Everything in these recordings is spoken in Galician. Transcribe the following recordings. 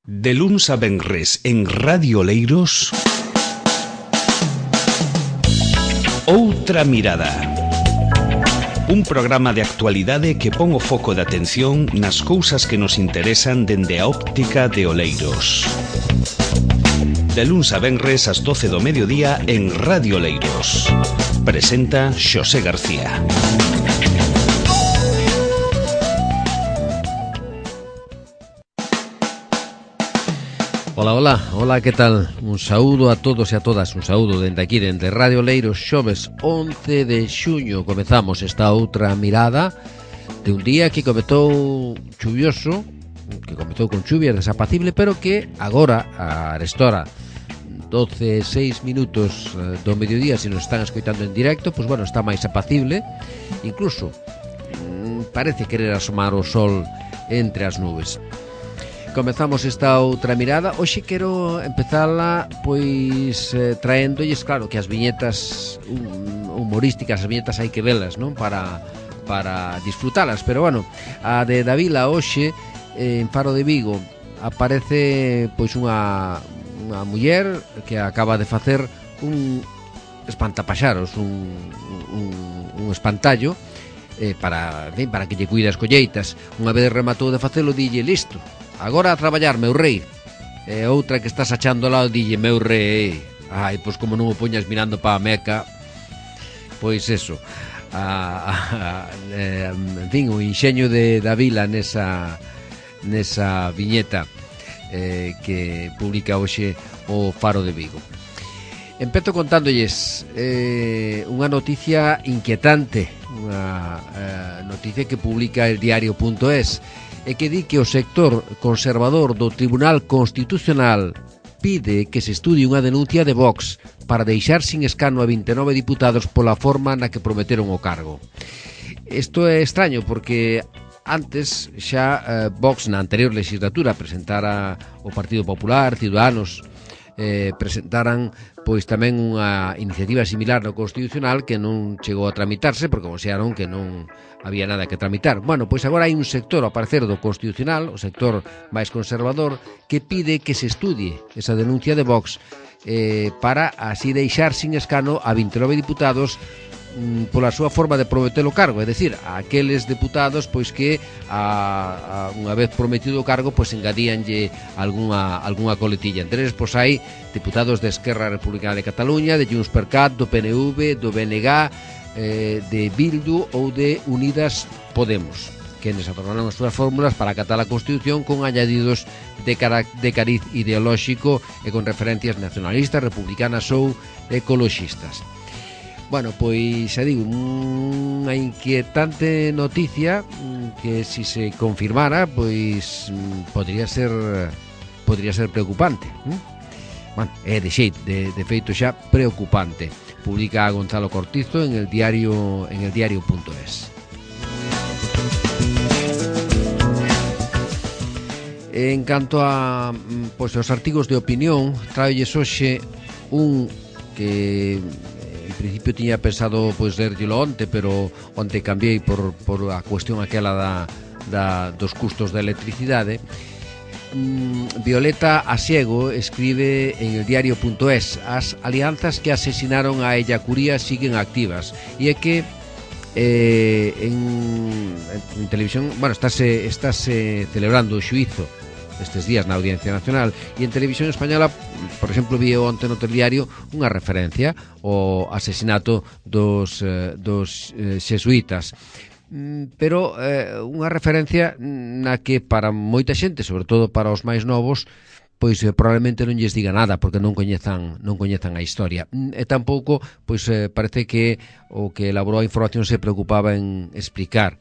De luns a venres en Radio Oleiros, Outra Mirada. Un programa de actualidade que pon o foco de atención nas cousas que nos interesan dende a óptica de Oleiros. De luns a venres ás 12 do mediodía en Radio Oleiros. Presenta Xosé García. Hola, que tal? Un saúdo a todos e a todas, un saúdo dende aquí, dende Radio Oleiros, xoves 11 de xuño. Comezamos esta outra mirada de un día que comezou chuvioso, que comezou con chuvia desapacible, pero que agora, a restora 12:06 do mediodía, se nos están escoitando en directo, pois bueno, está máis apacible, incluso parece querer asomar o sol entre as nubes. Comezamos esta outra mirada. Hoxe quero empezala pois traéndolles, claro, que as viñetas humorísticas, as viñetas hai que velas, non? Para disfrutalas, pero bueno, a de Davila hoxe en Faro de Vigo aparece pois unha muller que acaba de facer un espantapaxaros, un espantallo para que lle cuide as colleitas. Unha vez rematou de facelo, dille: listo, agora a traballar, meu rei. E outra que estás achando ao lado dille: meu rei. Ai, pois como non o poñas mirando pa a Meca. Pois eso, en fin, o inxeño de Davila nesa viñeta que publica hoxe o Faro de Vigo. Empezo contándolles unha noticia inquietante, unha noticia que publica el diario.es, e que di que o sector conservador do Tribunal Constitucional pide que se estudie unha denuncia de Vox para deixar sin escano a 29 diputados pola forma na que prometeron o cargo. Isto é extraño porque antes xa Vox na anterior legislatura presentara o Partido Popular, Ciudadanos, presentaran pois tamén unha iniciativa similar no Constitucional que non chegou a tramitarse porque consideraron que non había nada que tramitar. Bueno, pois agora hai un sector, ao parecer, do Constitucional, o sector máis conservador, que pide que se estudie esa denuncia de Vox para así deixar sin escano a 29 diputados pola súa forma de prometer o cargo, é dicir, a aqueles deputados pois que unha vez prometido o cargo pois engadíanlle algunha coletilla. Entre eles pois hai deputados de Esquerra Republicana de Cataluña, de Junts per Cat, do PNV, do BNG, de Bildu ou de Unidas Podemos, que nes atornaron as súas fórmulas para acatar a Constitución con añadidos de cariz ideolóxico e con referencias nacionalistas, republicanas ou ecoloxistas. Bueno, pois xa digo, unha inquietante noticia que si se confirmara, pois podría ser preocupante. Bueno, é de xeito, de feito xa preocupante. Publica Gonzalo Cortizo en el diario.es. En canto a pois os artigos de opinión, traolles hoxe un que en principio tiña pensado pois lerllelo onte, pero onte cambiei por a cuestión aquela dos custos da electricidade. Violeta Asiego escribe en el diario.es: as alianzas que asesinaron a Ellacuría siguen activas. E é que en televisión, bueno, estáse celebrando o xuízo estes días na Audiencia Nacional, e en Televisión Española, por exemplo, vi onte no telediario unha referencia ao asesinato dos xesuítas, pero unha referencia na que para moita xente, sobre todo para os máis novos, pois probablemente non lles diga nada porque non coñezan a historia, e tampouco pois parece que o que elaborou a información se preocupaba en explicar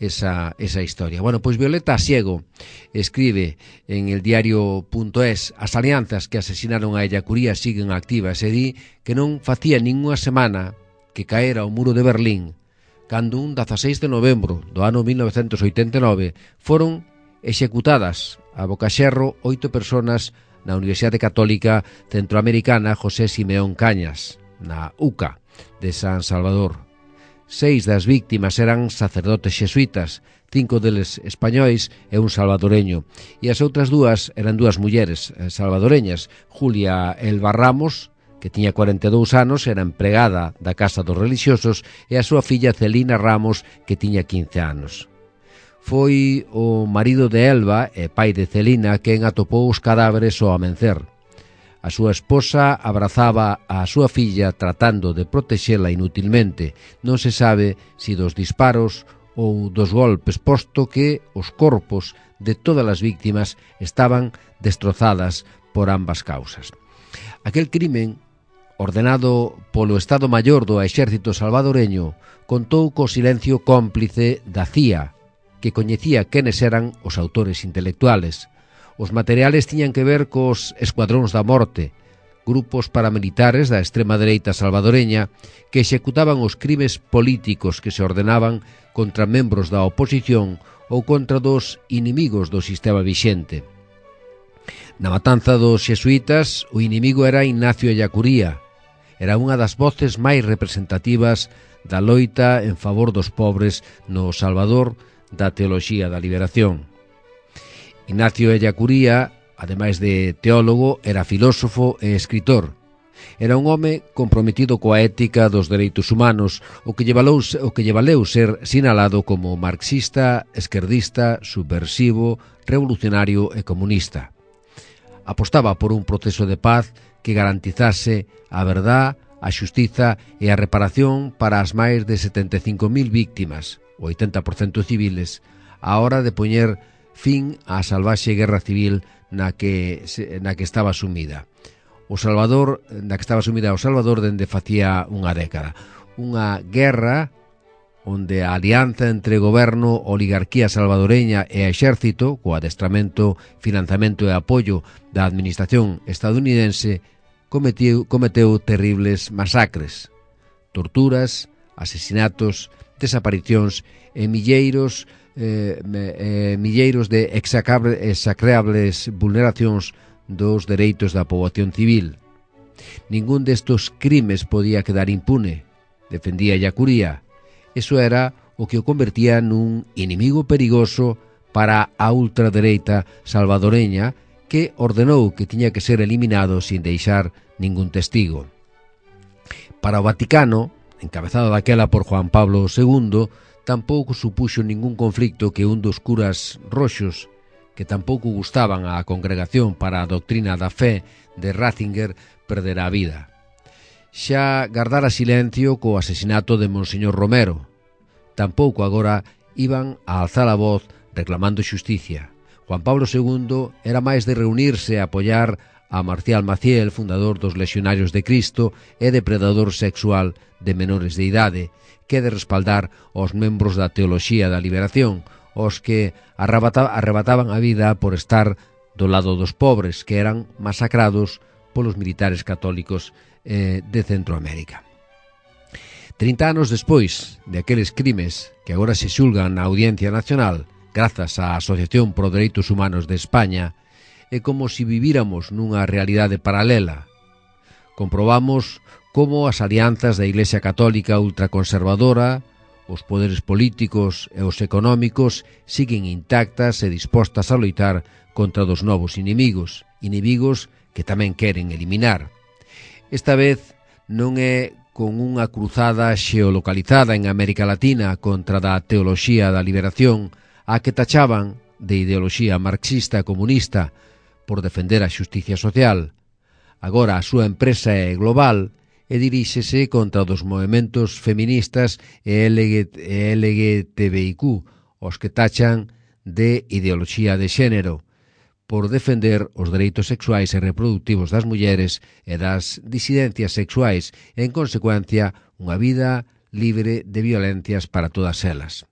esa historia. Bueno, pois Violeta Asiego escribe en el diario.es: as alianzas que asesinaron a Ellacuría siguen activas, e di que non facía ninguna semana que caera o muro de Berlín cando un 16 de novembro do ano 1989 foron executadas a bocaxerro 8 personas na Universidade Católica Centroamericana José Simeón Cañas, na UCA de San Salvador. 6 das víctimas eran sacerdotes xesuítas, 5 deles españois e un salvadoreño. E as outras dúas eran dúas mulleres salvadoreñas, Julia Elba Ramos, que tiña 42 anos, era empregada da Casa dos Relixiosos, e a súa filla Celina Ramos, que tiña 15 anos. Foi o marido de Elba e pai de Celina quen atopou os cadáveres ao amencer. A súa esposa abrazaba a súa filla tratando de protexela inutilmente. Non se sabe se dos disparos ou dos golpes, posto que os corpos de todas as víctimas estaban destrozadas por ambas causas. Aquel crimen, ordenado polo Estado Maior do Exército Salvadoreño, contou co silencio cómplice da CIA, que coñecía quenes eran os autores intelectuales. Os materiales tiñan que ver cos escuadróns da morte, grupos paramilitares da extrema dereita salvadoreña que executaban os crimes políticos que se ordenaban contra membros da oposición ou contra dos inimigos do sistema vixente. Na matanza dos xesuítas, o inimigo era Ignacio Ellacuría. Era unha das voces máis representativas da loita en favor dos pobres no Salvador da teoloxía da liberación. Ignacio Ellacuría, ademais de teólogo, era filósofo e escritor. Era un home comprometido coa ética dos dereitos humanos, o que lle valeu ser sinalado como marxista, esquerdista, subversivo, revolucionario e comunista. Apostaba por un proceso de paz que garantizase a verdad, a xustiza e a reparación para as máis de 75.000 víctimas, o 80% civiles, á hora de poñer fin á salvaxe guerra civil na que estaba sumida. O Salvador dende facía unha década. Unha guerra onde a alianza entre goberno, oligarquía salvadoreña e exército, co adestramento, financiamento e apoio da administración estadounidense, cometeu terribles masacres, torturas, asesinatos, desaparicións e milleiros de execrables vulneracións dos dereitos da poboación civil. Ningún destos crimes podía quedar impune, defendía Ellacuría. Eso era o que o convertía nun inimigo perigoso para a ultradereita salvadoreña, que ordenou que tiña que ser eliminado sin deixar ningún testigo. Para o Vaticano, encabezado daquela por Juan Pablo II, tampouco supuxo ningún conflicto que un dos curas roxos, que tampouco gustaban á Congregación para a Doctrina da Fe de Ratzinger, perdera a vida. Xa gardara silencio co asesinato de Monseñor Romero. Tampouco agora iban a alzar a voz reclamando xusticia. Juan Pablo II era máis de reunirse a apoiar a Marcial Maciel, fundador dos Lexionarios de Cristo e depredador sexual de menores de idade, que de respaldar aos membros da teoloxía da liberación, os que arrebataban a vida por estar do lado dos pobres, que eran masacrados polos militares católicos de Centroamérica. 30 anos despois de aqueles crimes que agora se xulgan na Audiencia Nacional, grazas á Asociación Pro Dereitos Humanos de España, é como se vivíramos nunha realidade paralela. Comprobamos como as alianzas da Iglesia Católica ultraconservadora, os poderes políticos e os económicos siguen intactas e dispostas a loitar contra dos novos inimigos que tamén queren eliminar. Esta vez non é con unha cruzada xeolocalizada en América Latina contra da teoloxía da liberación, a que tachaban de ideoloxía marxista e comunista por defender a xusticia social. Agora a súa empresa é global e diríxese contra dos movementos feministas e LGTBIQ, os que tachan de ideoloxía de xénero, por defender os dereitos sexuais e reproductivos das mulleres e das disidencias sexuais e, en consecuencia, unha vida libre de violencias para todas elas.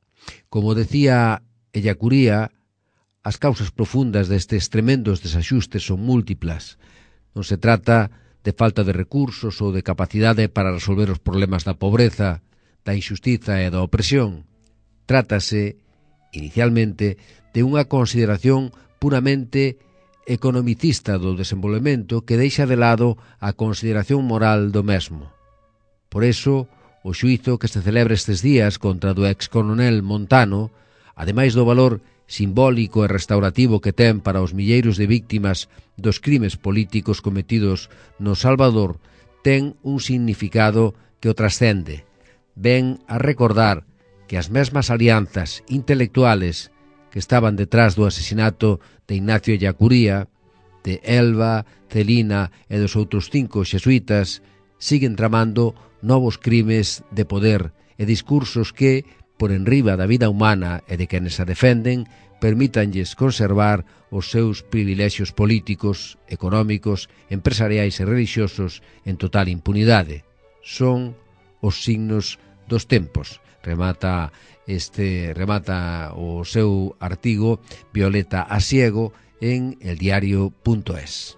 Como decía Ellacuría, as causas profundas destes tremendos desaxustes son múltiplas. Non se trata de falta de recursos ou de capacidade para resolver os problemas da pobreza, da injustiza e da opresión. Trátase, inicialmente, de unha consideración puramente economicista do desenvolvemento que deixa de lado a consideración moral do mesmo. Por eso, o xuízo que se celebra estes días contra do ex-coronel Montano ademais do valor simbólico e restaurativo que ten para os milleiros de víctimas dos crimes políticos cometidos no Salvador, ten un significado que o trascende. Ven a recordar que as mesmas alianzas intelectuales que estaban detrás do asesinato de Ignacio Ellacuría, de Elba, Celina e dos outros 5 xesuítas siguen tramando novos crimes de poder e discursos que, por enriba da vida humana e de quenes a defenden, permítanlles conservar os seus privilexios políticos, económicos, empresariais e relixiosos en total impunidade. Son os signos dos tempos. Remata o seu artigo Violeta Asiego en eldiario.es.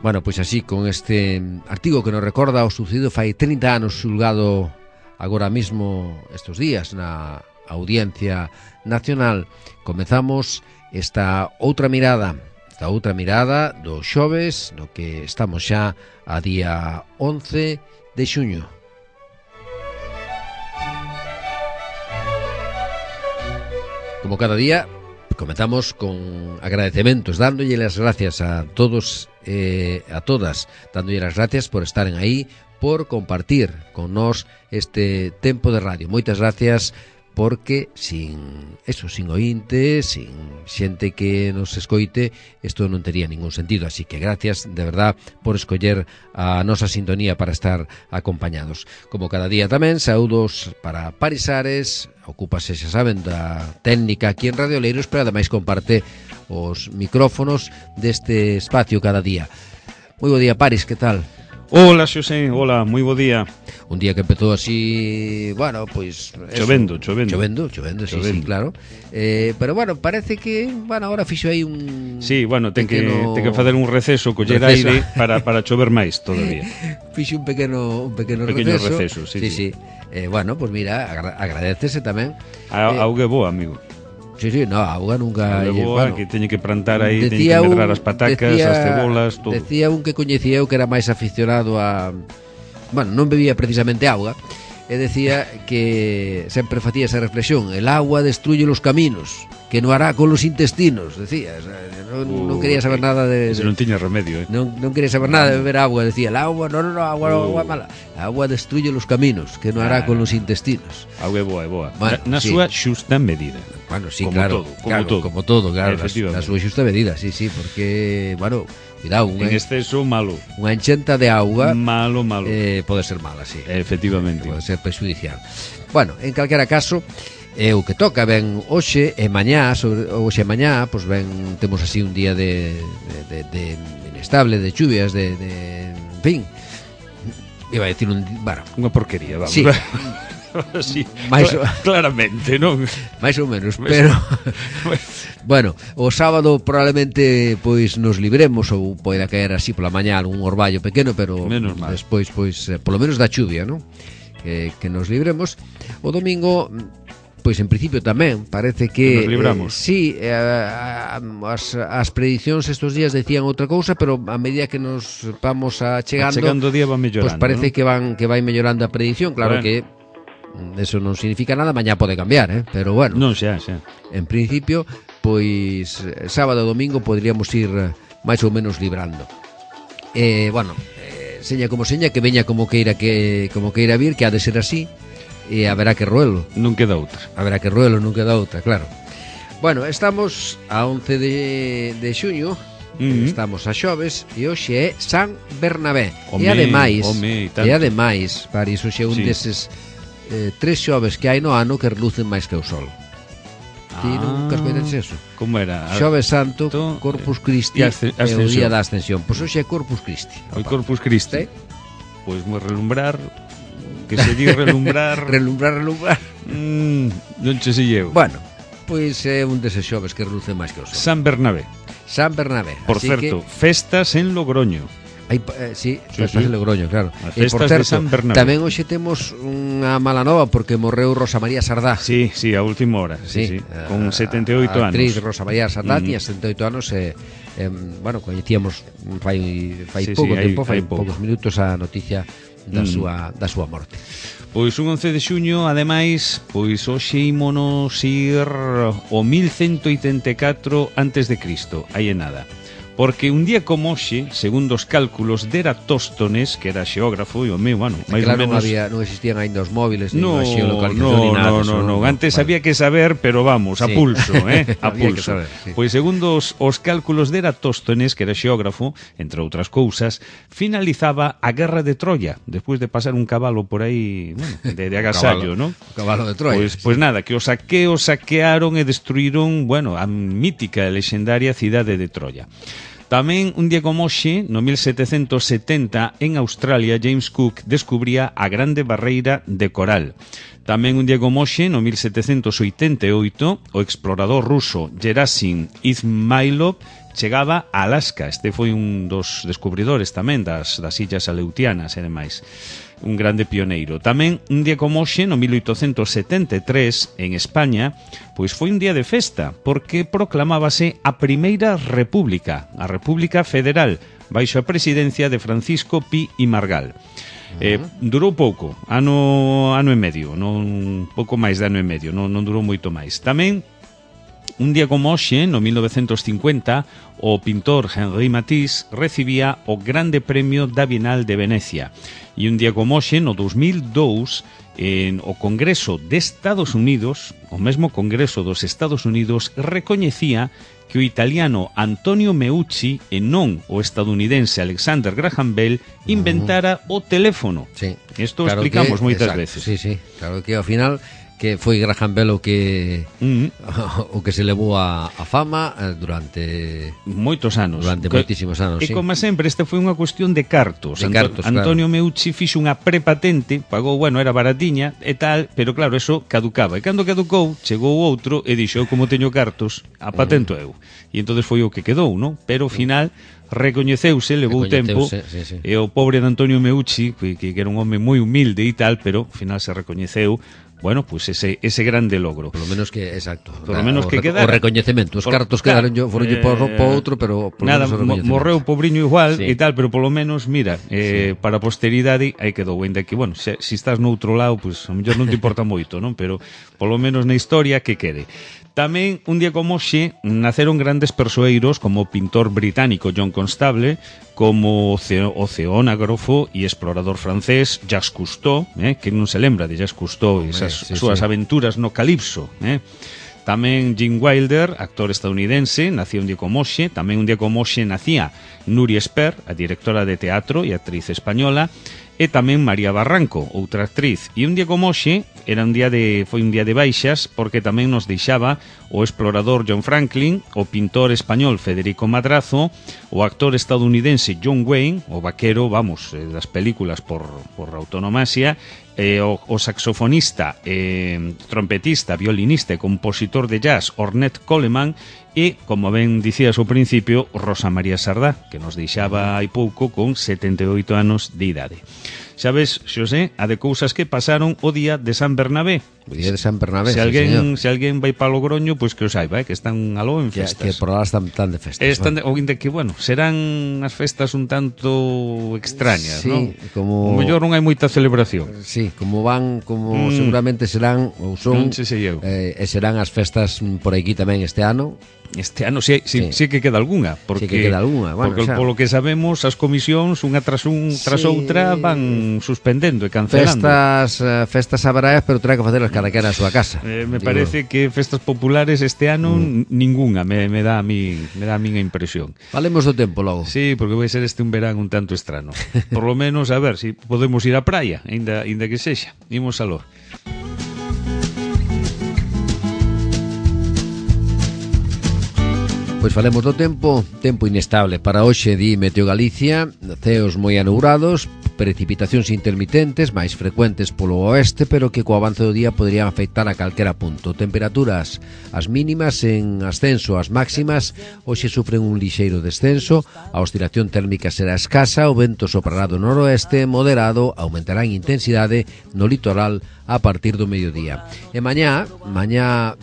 Bueno, pois así, con este artigo que nos recorda o sucedido fai 30 anos xulgado agora mismo estes días na Audiencia Nacional, comezamos esta outra mirada do xoves, no que estamos xa a día 11 de xuño. Como cada día, comenzamos con agradecementos, dándolle las gracias a todos e a todas, dándolle las gracias por estaren aí, por compartir con nós este tempo de radio. Moitas gracias, porque sin oínte, sin xente que nos escoite, isto non tería ningún sentido. Así que gracias, de verdad, por escoller a nosa sintonía para estar acompañados. Como cada día tamén, saúdos para Paris Ares, ocúpase, xa saben, da técnica aquí en Radio Oleiros, pero ademais comparte os micrófonos deste espacio cada día. Moi bo día, Paris, que tal? Hola, Xosé, hola, moi bo día. Un día que empezou así, bueno, pois Chovendo, sí, claro. Pero bueno, parece que, bueno, ahora fixo aí un... Sí, bueno, ten que facer un receso, coller aire para chover máis todavía. Fixo un pequeno receso, sí. Bueno, pois mira, agradecese tamén. A auga boa, amigo. Sí, no, a auga nunca... A boa, bueno, que teñe que plantar aí, teñe que medrar as patacas, as cebolas, todo. Decía un que coñecía eu que era máis aficionado a... Bueno, non bebía precisamente auga, e decía que sempre facía esa reflexión: el agua destruye los caminos, que no hará con los intestinos, decía. Non quería saber nada de... Eso non tiña remedio, Non quería saber nada de beber agua, decía, el agua, agua mala. Agua destruye los caminos, que no hará con los intestinos. Agua é boa. Bueno, na súa xusta medida. Bueno, sí, como todo, claro, na súa xusta medida, sí, porque, bueno, cuidado, en exceso malo. Unha enchenta de auga malo. Pode ser mala, sí. Efectivamente. Pode ser perjudicial. Bueno, en calquera caso, o que toca ben hoxe e mañá, pois ben, temos así un día de inestable, de chuvias, en fin, iba a decir unha porquería, vamos. Sí. Sí, claramente, non? Mais ou menos, pero bueno, o sábado probablemente pois nos libremos, ou poida caer así pola mañá algún orballo pequeno, pero despois pois polo menos da chuvia, non? Que nos libremos. O domingo, pois en principio tamén parece que nos libramos. Sí, as predicións estes días decían outra cousa, pero a medida que nos vamos chegando o día va mellorando. Pois parece, ¿no? que vai mellorando a predición, claro, bueno. Que eso non significa nada, mañá pode cambiar, pero bueno. Non, xa. En principio, pois sábado e domingo poderíamos ir máis ou menos librando. Bueno, seña como seña, que veña como queira vir, que ha de ser así, e haberá que roelo. Non queda outra. Claro. Bueno, estamos a 11 de xuño, estamos a xoves, e hoxe é San Bernabé. E ademais, Paris, hoxe é un deses 3 xoves que hai no ano que relucen máis que o sol. Ti nunca escoites eso? Como era? Xoves Santo, Corpus Christi e o día da Ascensión. Pois hoxe é Corpus Christi. O Corpus Christi. Pois moi relumbrar, que se di relumbrar. relumbrar. Non che sei eu. Bueno, pois é un deses xoves que relucen máis que o sol. San Bernabé. Por certo, festas en Logroño. Sí, festas en Logroño, claro. As festas de San Bernabé. Tamén hoxe temos unha mala nova porque morreu Rosa María Sardá. Sí, a última hora, sí. Con 78 anos. A actriz Rosa María Sardá tiña 78 anos bueno, coñecíamos fai pouco tempo, fai poucos minutos a noticia da súa morte. Pois un 11 de xuño, ademais, pois hoxe ímonos ir o 1184 antes de Cristo, aí é nada. Porque un día como hoxe, segundo os cálculos de Eratóstones, que era xeógrafo, e o meu, bueno, máis claro, ou menos... non existían ainda os móviles, non a xeolocalización, ni nada. No, antes había que saber, pero vamos, a pulso, a pulso. Saber, sí. Pois segundo os cálculos de Eratóstones, que era xeógrafo, entre outras cousas, finalizaba a Guerra de Troya, despois de pasar un cabalo por aí, bueno, de agasallo, non? O cabalo de Troya. Pois nada, que os saquearon e destruíron, bueno, a mítica e lexendaria cidade de Troya. Tamén, un día como hoxe, no 1770, en Australia, James Cook descubría a Grande Barreira de Coral. Tamén, un día como hoxe, no 1788, o explorador ruso Gerasim Izmailov chegaba a Alaska. Este foi un dos descubridores tamén das illas aleutianas e demais. Un grande pioneiro. Tamén, un día como hoxe, no 1873, en España, pois foi un día de festa, porque proclamábase a Primeira República, a República Federal, baixo a presidencia de Francisco Pi y Margall. Durou pouco, ano e medio, non pouco máis de ano e medio, non durou moito máis. Tamén, un día como hoxe, no 1950, o pintor Henri Matisse recibía o Grande Premio da Bienal de Venecia. E un día como hoxe, no 2002, o Congreso de Estados Unidos, o mesmo Congreso dos Estados Unidos, recoñecía que o italiano Antonio Meucci e non o estadounidense Alexander Graham Bell inventara o teléfono. Sí. Isto claro explicamos moitas veces. Sí, claro que ao final que foi Graham Bell o que se levou a fama durante moitos anos. Durante moitísimos anos, E como sempre, esta foi unha cuestión de cartos. Antonio Meucci fixo unha prepatente, pagou, bueno, era baratiña e tal, pero claro, eso caducaba. E cando caducou, chegou outro e dixo, eu como teño cartos, a patento eu. E entonces foi o que quedou, non? Pero ao final recoñeceuse, levou tempo, sí. E o pobre de Antonio Meucci, que era un home moi humilde e tal, pero ao final se recoñeceu. Bueno, pues ese grande logro. Por lo menos que, exacto. Por lo menos que quedara. O recoñecemento. Os cartos quedaron foron po outro, pero por nada, lo menos morreu o pobriño igual e tal, pero polo menos, mira, para a posteridade aí quedou, ainda que, bueno, se estás no outro lado, pues a mellor non te importa moito, non? Pero polo menos na historia que quede. Tamén, un día como hoxe, naceron grandes persoeiros como o pintor británico John Constable, como o oceanógrafo e explorador francés Jacques Cousteau, que non se lembra de Jacques Cousteau e esas súas aventuras no Calipso, Tamén Gene Wilder, actor estadounidense, nacía un día como hoxe. Tamén un día como hoxe nacía Nuria Esper, a directora de teatro e actriz española, e tamén María Barranco, outra actriz. E un día como hoxe foi un día de baixas, porque tamén nos deixaba o explorador John Franklin, o pintor español Federico Madrazo, o actor estadounidense John Wayne, o vaquero, vamos, das películas por autonomasia, o saxofonista, trompetista, violinista e compositor de jazz Ornette Coleman, e, como ben dicías ao principio, Rosa María Sardá, que nos deixaba hai pouco con 78 anos de idade. Sabes, Xosé, a de cousas que pasaron o día de San Bernabé. O día de San Bernabé, se alguén vai para Logroño, pois que o saiba, que están aló en festas. Que por lá están tan de festas. Ou de que, bueno, serán as festas un tanto extrañas, sí, non? Como... O mellor non hai moita celebración. Sí, como seguramente serán, ou son, e serán as festas por aquí tamén este ano. Este ano sí que queda algunha, porque, sí que queda algunha. Bueno, porque polo que sabemos, as comisións unha tras outra van suspendendo e cancelando. Festas haberá, pero terá que facelas cada quera a súa casa. Me parece que festas populares este ano ningunha, me dá a miña impresión. Falemos do tempo logo. Sí, porque vai ser este un verán un tanto estrano. Por lo menos, a ver, si podemos ir á praia, ainda que sexa. Imos aló. Pois falemos do tempo inestable para hoxe, di Meteo Galicia, ceos moi anubrados, precipitacións intermitentes, máis frecuentes polo oeste, pero que co avance do día poderían afectar a calquera punto. Temperaturas as mínimas en ascenso, as máximas hoxe sufren un lixeiro descenso, a oscilación térmica será escasa, o vento soprará do noroeste, moderado, aumentará en intensidade no litoral a partir do mediodía. E mañá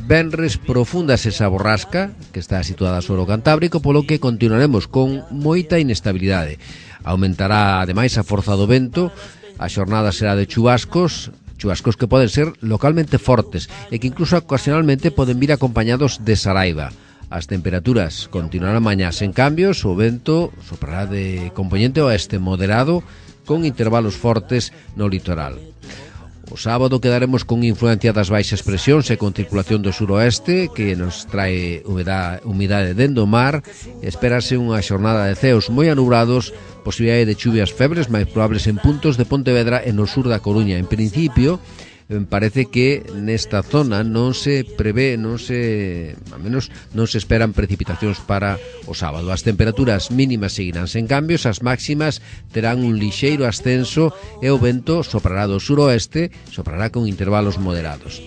venres, profundas esa borrasca que está situada sobre o Cantábrico, polo que continuaremos con moita inestabilidade. Aumentará ademais a forza do vento A xornada será de chubascos que poden ser localmente fortes e que incluso ocasionalmente poden vir acompañados de saraiva. As temperaturas continuarán mañá sen cambios, o vento soprará de componente oeste moderado con intervalos fortes no litoral. O sábado quedaremos con influencia das baixas presións e con circulación do suroeste que nos trae humidade dende o mar. Espérase unha xornada de ceos moi anubrados, posibilidade de chuvias febres máis probables en puntos de Pontevedra e no sur da Coruña. En principio, parece que nesta zona non se prevé, al menos non se esperan precipitacións para o sábado. As temperaturas mínimas seguirán sen cambios, as máximas terán un lixeiro ascenso e o vento soprará do suroeste, soprará con intervalos moderados.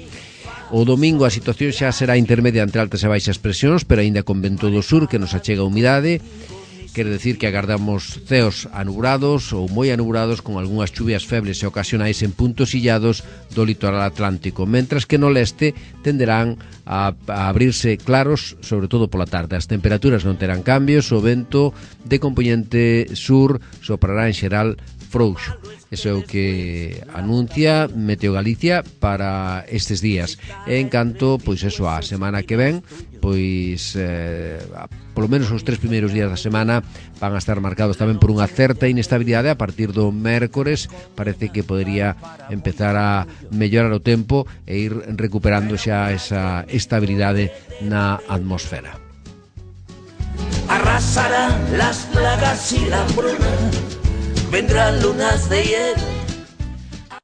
O domingo a situación xa será intermedia entre altas e baixas presións, pero aínda con vento do sur que nos achega humidade. Quere decir que agardamos ceos anubrados ou moi anubrados con algunhas chuvias febles e ocasionais en puntos illados do litoral atlántico, mentras que no leste tenderán a abrirse claros, sobre todo pola tarde. As temperaturas non terán cambios, o vento de componente sur soprará en xeral frouxo. Eso é o que anuncia Meteo Galicia para estes días. E en canto, pois eso, a semana que ven, pois polo menos os 3 primeiros días da semana van a estar marcados tamén por unha certa inestabilidade. A partir do mércores parece que podería empezar a mellorar o tempo e ir recuperando xa esa estabilidade na atmosfera. Arrasarán las plagas y la hambruna, vendrán lunas de hiel.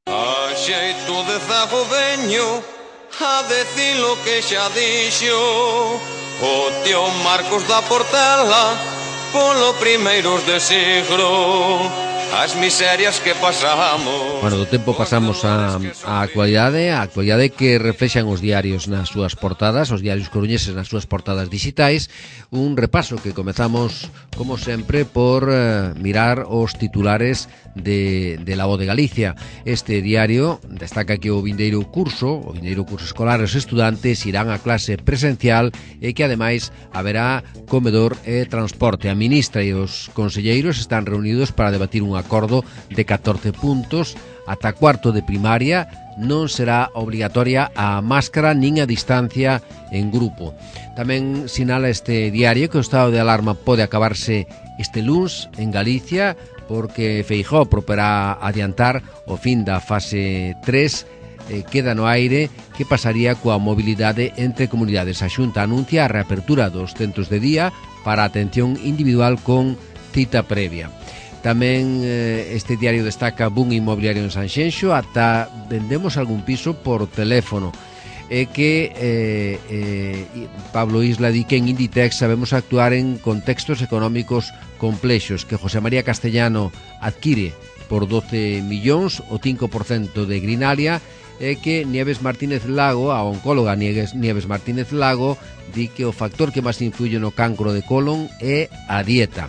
A xeito de zago veño a decir lo que xa dixo o tío Marcos da Portela polo primeiros de siglo. As miserias que pasamos. Bueno, do tempo pasamos a actualidade que reflexan os diarios nas súas portadas, os diarios coruñeses nas súas portadas digitais. Un repaso que comezamos, como sempre, por mirar os titulares de La Voz de Galicia. Este diario destaca que o vindeiro curso escolar, os estudantes irán a clase presencial e que ademais haberá comedor e transporte. A ministra e os conselleiros están reunidos para debatir un acordo de 14 puntos. Ata cuarto de primaria non será obligatoria a máscara nin a distancia en grupo. Tamén sinala este diario que o estado de alarma pode acabarse este luns en Galicia, porque Feijóo proporá adiantar o fin da fase 3, queda no aire que pasaría coa mobilidade entre comunidades. A Xunta anuncia a reapertura dos centros de día para atención individual con cita previa. Tamén este diario destaca boom inmobiliario en Sanxenxo, ata vendemos algún piso por teléfono. E que Pablo Isla di que en Inditex sabemos actuar en contextos económicos complexos, que José María Castellano adquire por 12 millóns o 5% de Grinalia, e que Nieves Martínez Lago, a oncóloga Nieves Martínez Lago, di que o factor que máis influye no cancro de colon é a dieta.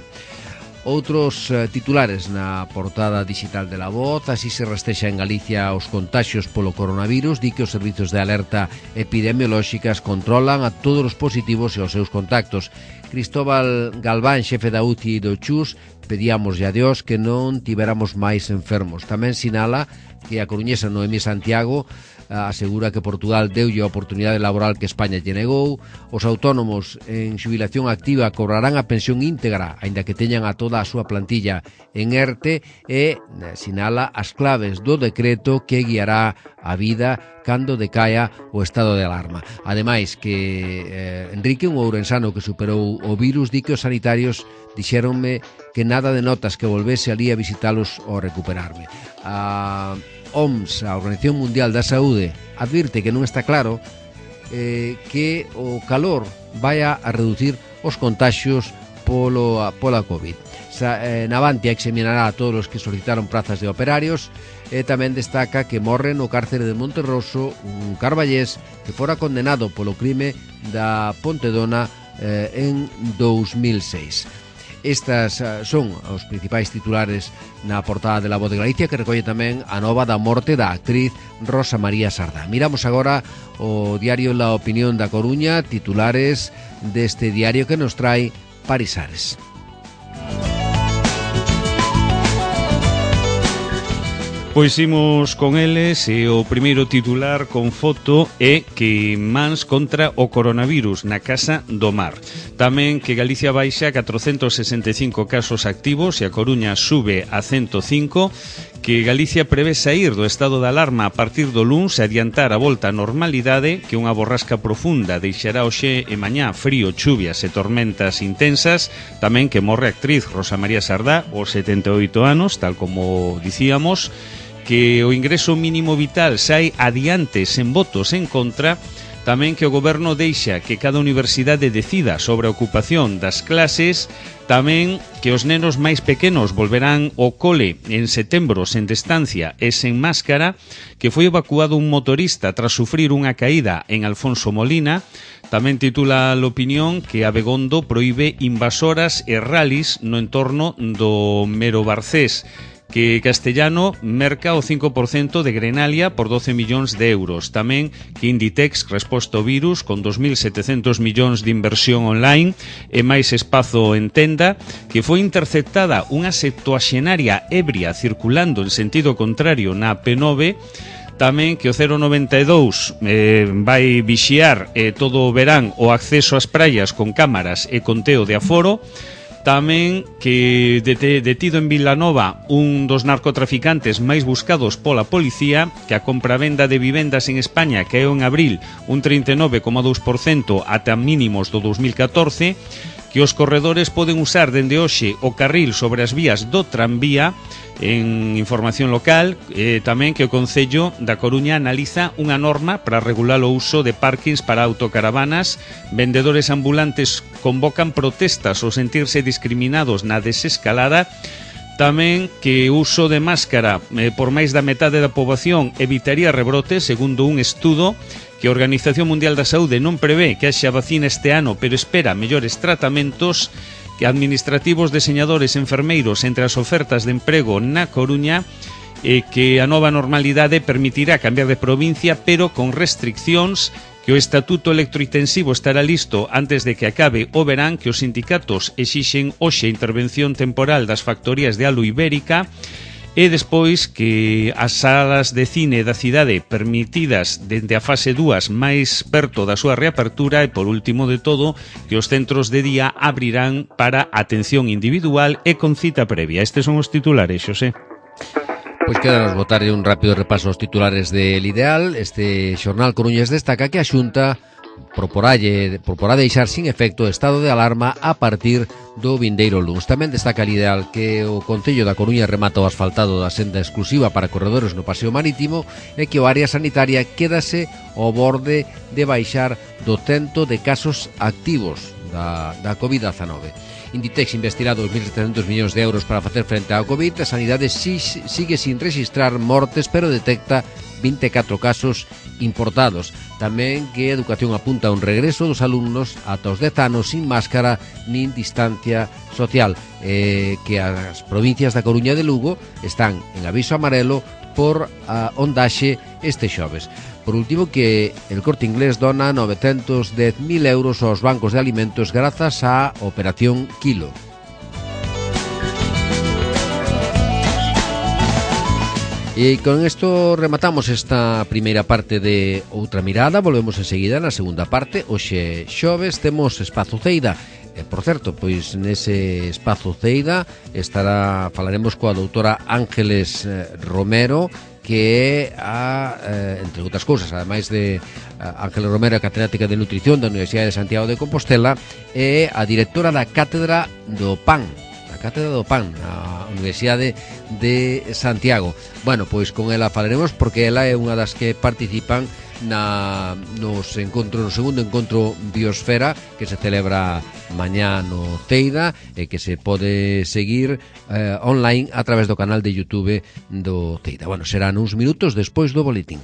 Outros titulares na portada digital de La Voz: así se rastexa en Galicia os contaxios polo coronavirus, di que os servizos de alerta epidemiolóxicas controlan a todos os positivos e os seus contactos. Cristóbal Galván, xefe da UCI do Chus, pedíamoslle a Dios que non tiveramos máis enfermos. Tamén sinala que a coruñesa Noemí Santiago asegura que Portugal deulle a oportunidade laboral que España lle negou. Os autónomos en xubilación activa cobrarán a pensión íntegra, aínda que teñan a toda a súa plantilla en ERTE, e sinala as claves do decreto que guiará a vida cando decaia o estado de alarma. Ademais, que Enrique, un ourensano que superou o virus, di que os sanitarios dixéronme que nada de notas que volvese ali a visitalos ao recuperarme. A OMS, a Organización Mundial da Saúde, advirte que non está claro que o calor vaya a reducir os contaxios pola COVID. Navantia examinará a todos os que solicitaron prazas de operarios e tamén destaca que morre no cárcere de Monterroso un carballés que fora condenado polo crime da Pontedona en 2006. Estas son os principais titulares na portada de La Voz de Galicia, que recolle tamén a nova da morte da actriz Rosa María Sardá. Miramos agora o diario La Opinión da Coruña, titulares deste diario que nos trae Parisares. Pois imos con eles e o primeiro titular con foto é que mans contra o coronavirus na Casa do Mar. Tamén que Galicia baixa 465 casos activos e a Coruña sube a 105, que Galicia prevé sair do estado de alarma a partir do luns e adiantar a volta á normalidade, que unha borrasca profunda deixará hoxe e mañá frío, chuvias e tormentas intensas, tamén que morre a actriz Rosa María Sardá, aos 78 anos, tal como dicíamos, que o ingreso mínimo vital sai adiante sen votos en contra, tamén que o goberno deixa que cada universidade decida sobre a ocupación das clases, tamén que os nenos máis pequenos volverán ao cole en setembro sen distancia e sen máscara, que foi evacuado un motorista tras sufrir unha caída en Alfonso Molina. Tamén titula l'opinión que Abegondo proíbe invasoras e rallies no entorno do Mero Barcés, que Castellano merca o 5% de Grenalia por 12 millóns de euros. Tamén que Inditex resposta ao virus con 2.700 millóns de inversión online e máis espazo en tenda, que foi interceptada unha septuaxenaria ebria circulando en sentido contrario na P9. Tamén que o 092 vai vixiar todo o verán o acceso ás praias con cámaras e conteo de aforo. Tamén que detido en Vilanova un dos narcotraficantes máis buscados pola policía, que a compravenda de vivendas en España caeu en abril un 39,2% ata mínimos do 2014, que os corredores poden usar dende hoxe o carril sobre as vías do tranvía. En información local, tamén que o Concello da Coruña analiza unha norma para regular o uso de parkings para autocaravanas. Vendedores ambulantes convocan protestas ao sentirse discriminados na desescalada. Tamén que o uso de máscara por máis da metade da poboación evitaría rebrotes, segundo un estudo que a Organización Mundial da Saúde non prevé que haxa vacina este ano, pero espera mellores tratamentos. Que administrativos, deseñadores, enfermeiros entre as ofertas de emprego na Coruña, que a nova normalidade permitirá cambiar de provincia, pero con restriccións, que o estatuto electrointensivo estará listo antes de que acabe o verán, que os sindicatos exixen hoxe intervención temporal das factorías de Alu Ibérica, e despois que as salas de cine da cidade permitidas dende a fase 2 máis perto da súa reapertura, e por último de todo que os centros de día abrirán para atención individual e con cita previa. Estes son os titulares, Xosé. Pois quedanos botarlle un rápido repaso aos titulares del Ideal. Este xornal Coruñés destaca que a Xunta proporá deixar sin efecto o estado de alarma a partir do vindeiro luns. Tamén destaca el Ideal que o Concello da Coruña remata o asfaltado da senda exclusiva para corredores no Paseo Marítimo e que o área sanitaria quédase ao borde de baixar do cento de casos activos da COVID-19. Inditex investirá 2.700 millóns de euros para facer frente ao COVID. A Sanidade sigue sin registrar mortes, pero detecta 24 casos importados. Tamén que Educación apunta a un regreso dos alumnos ata os 10 anos sin máscara nin distancia social, que as provincias da Coruña e de Lugo están en aviso amarelo por a ondaxe este xoves. Por último, que el Corte Inglés dona 910.000 euros aos bancos de alimentos grazas á Operación Kilo. E con isto rematamos esta primeira parte de Outra Mirada. Volvemos enseguida na segunda parte. Hoxe xoves temos Espazo Ceida. Por certo, pois nese Espazo Ceida falaremos coa doutora Ángeles Romero, que é entre outras cousas, ademais de Ángeles Romero, catedrática de Nutrición da Universidade de Santiago de Compostela, é a directora da Cátedra do PAN, na Universidade de Santiago. Bueno, pois con ela falaremos porque ela é unha das que participan no segundo encontro Biosfera que se celebra mañá no Teida e que se pode seguir online a través do canal de YouTube do Teida. Bueno, serán uns minutos despois do boletín.